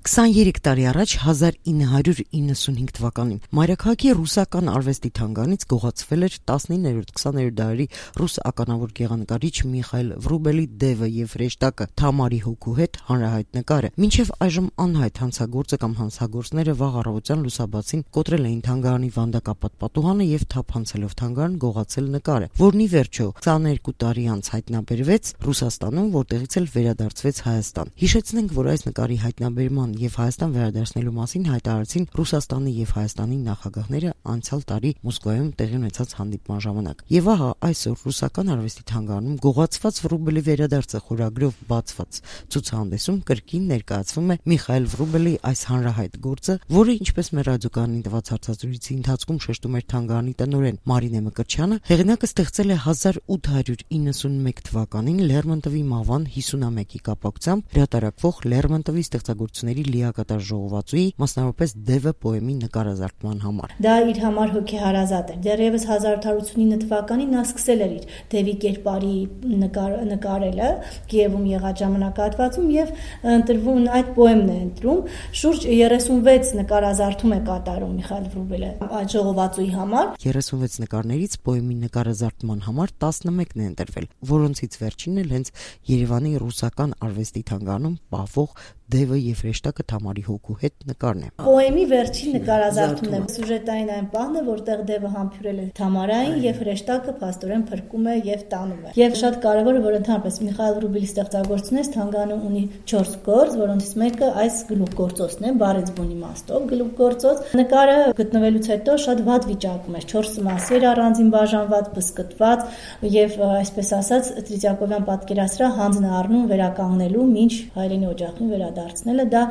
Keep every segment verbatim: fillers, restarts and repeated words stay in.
քսաներեք տարի առաջ հազար ինը հարյուր իննսունհինգ թվականին մայրաքաղաքի ռուսական արվեստի թանգարանից գողացվել էր տասնիններորդ-քսաներորդ դարերի ռուս ականավոր գեղանկարիչ Միխայիլ Վրուբելի «Դևը և հրեշտակը» Թամարի հոգու հետ հանրահայտ նկարը։ Մինչև այժմ անհայտ հանցագործը կամ հանցագործները վաղ առավոտյան լուսաբացին կոտրել էին թանգարանի վանդակապատ պատուհանը եւ թափանցելով թանգարան գողացել նկարը, որն ի վերջո քսաներկու տարի անց հայտնաբերվեց Ռուսաստանում, որտեղից էլ վերադարձվեց Հայաստան։ Հիշեցնենք, որ այս նկարի հայտնաբերման եւ Հայաստան վերադարձնելու մասին հայտարարեցին Ռուսաստանի եւ Հայաստանի նախագահները անցյալ տարի Մոսկվայում տեղի ունեցած հանդիպման ժամանակ։ Եվ ահա այսօր ռուսական արվեստի թանգարանում գողացված Վրուբելի վերադարձը խորագրով բացված ցուցահանդեսում կրկին ներկայացվում է Միխայիլ Վրուբելի այս հանրահայտ գործը, որը, ինչպես մեր ռադիոկայանին տված հարցազրույցի ընթացքում շեշտում էր թանգարանի տնօրեն Մարինե Մկրտչյանը, հեղինակը ստեղծել է հազար ութ հարյուր իննսունմեկ թվականին Լերմոնտովի մահվան հիսունամյակի կապակցությամբ հրատարակվող Լերմոնտովի ստեղծագործությունների լիակատար ժողովածուի, մասնավորապես «Դևը» պոեմի նկարազարդման համար։ Դա իր համար հոգեհարազատ էր։ Դեռևս հազար ութ հարյուր ութսունինը թվականին նա սկսել էր իր Դևի կերպարի նկար, նկարելը Կիևում եղած ժամանակահատվածում եւ ընտրվում այդ պոեմն է ընտրում։ Շուրջ երեսունվեց նկարազարդում է կատարում Միխայիլ Վրուբելը այդ ժողովածուի համար։ երեսունվեց նկարներից պոեմի նկարազարդման համար տասնմեկն է ընտրվել, որոնցից վերջինն էլ հենց Երևանի ռուսական արվեստի թանգարանում պահվող «Դևը և հրեշտակը» Թամարի հոգու հետ նկարն է։ Պոեմի վերջին նկարազարդումն է, սյուժետային այն պահն է, որտեղ Դևը համբուրել է Թամարային եւ հրեշտակը փաստորեն փրկում է եւ տանում է։ Եվ շատ կարեւոր է, որ ընդհանրապես Միխայիլ Վրուբելի ստեղծագործությունից թանգարանում ունի չորս գործ, որոնցից մեկը այս գլուխգործոցն է, բառեզբուն իմաստով գլուխգործոց։ Նկարը գտնվելուց հետո շատ վատ վիճակում էր, չորս մասի էր առանձին բաժանված, բսկտված եւ այսպես ասած Տրիծակովյան պատկերասրահ հանձն առնում վերականգնելու մինչ հայրենի օջախին վերադարձնելը։ Դա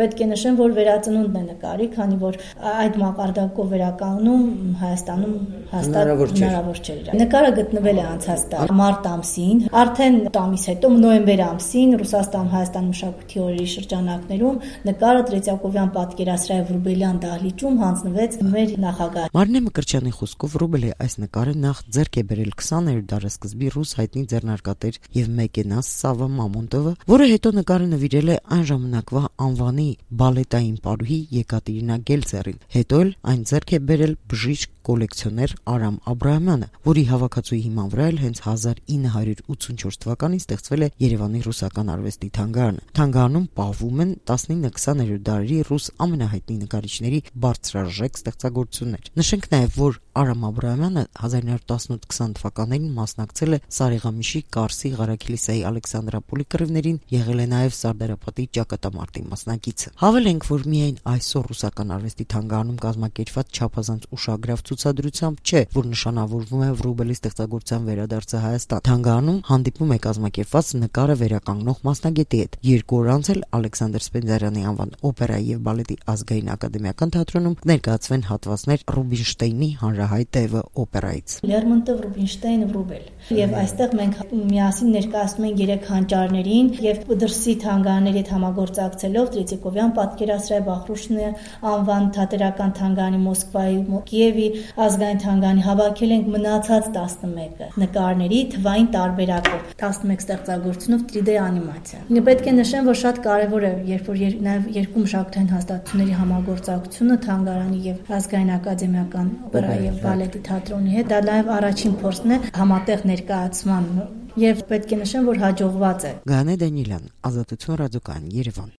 պետք է նշեմ, որ վերածնունդն է նկարի, քանի որ այդ մակարդակով վերականգնում Հայաստանում հաստատ հնարավոր չէր։ Նկարը գտնվել է անցած տարի մարտ ամսին, արդեն ամիս հետո նոյեմբեր ամսին Ռուսաստան-Հայաստան մշակույթի օրերի շրջանակներում նկարը Տրիծակովյան պատկերասրահի Վրուբելյան դահլիճում հանձնվեց մեր նախագահ Մարինե Մկրտչյանի խոսքով Վրուբելի այս նկարը նախ ձեռք է բերել քսաներորդ դարասկզբի ռուս հայտնի ձեռնարկատեր եւ մեքենաս Սավա Մամոնտովը, որը հետո նկարը նվիրել է այն ժամանակվա անվանի բալետային պարուհի Եկատերինա Գելցերին։ Հետո էլ այն ձեռք է բերել բժիշկ կոլեկցիոներ Արամ Աբրահամյանը, որի հավաքածուի հիման վրա էլ հենց հազար ինը հարյուր ութսունչորս թվականին ստեղծվել է Երևանի ռուսական արվեստի թանգարանը։ Թանգարանում պահվում են տասնինը-քսաներորդ դարերի ռուս ամենահայտնի նկարիչների բարձրարժեք ստեղծագործություններ։ Նշենք նաև, որ Արամ Աբրահամյանը հազար ինը հարյուր տասնութ քսան թվականներին մասնակցել է Սարեգամիշի Կարսի Ղարաքիլիսայի Ալեքսանդրապոլի կռիվներին, եղել է նաև Սարդարապատի ճակատամարտի մասնակիցը։ Հավելենք, որ միայն այսօր ռուսական արվեստի թանգարանում կազմակերպված չափազանց ուշագրավ ցուցադրությամբ չէ, որ նշանավորվում է Վրուբելի ստեղծագործության վերադարձը Հայաստան։ Թանգարանում հանդիպում է կազմակերպված նկարը վերականգնող մասնագետի հետ։ Երկու օր անց էլ Ալեքսանդր Սպենդիարյանի անվան օպերայի եւ բալետի ազգային ակադեմիական թատրոնում կներկայացվեն հատվածներ Ռուբինշտեյնի հանրահայտ Դևը օպերայից։ Լերմոնտով, Ռուբինշտեյն, Վրուբել։ Եվ այստեղ մենք միասին ներկայացնում ենք երեք հանճարներին եւ դրսի թանգարանների հետ համագործակցելով Տրիծիկովյան պատկերասրահի Բախրուշնի անվան թատերական թանգարանի Մոսկվայի, Կիևի ազգային թանգարանի հավաքել ենք մնացած տասնմեկը նկարների թվային տարբերակով, տասնմեկ ստեղծագործությունով տրի դե անիմացիա։ Պետք է նշեմ, որ շատ կարևոր է, երբ որ նաև երկու մշակութային հաստատությունների համագործակցությունը թանգարանի եւ ազգային ակադեմիական օպերայի եւ բալետի թատրոնի հետ, դա նաև առաջին փորձն է համատեղ ներկայացման եւ պետք է նշեմ, որ հաջողված է։ Գայանե Դանիելյան, Ազատություն ռադիոկայան, Երևան։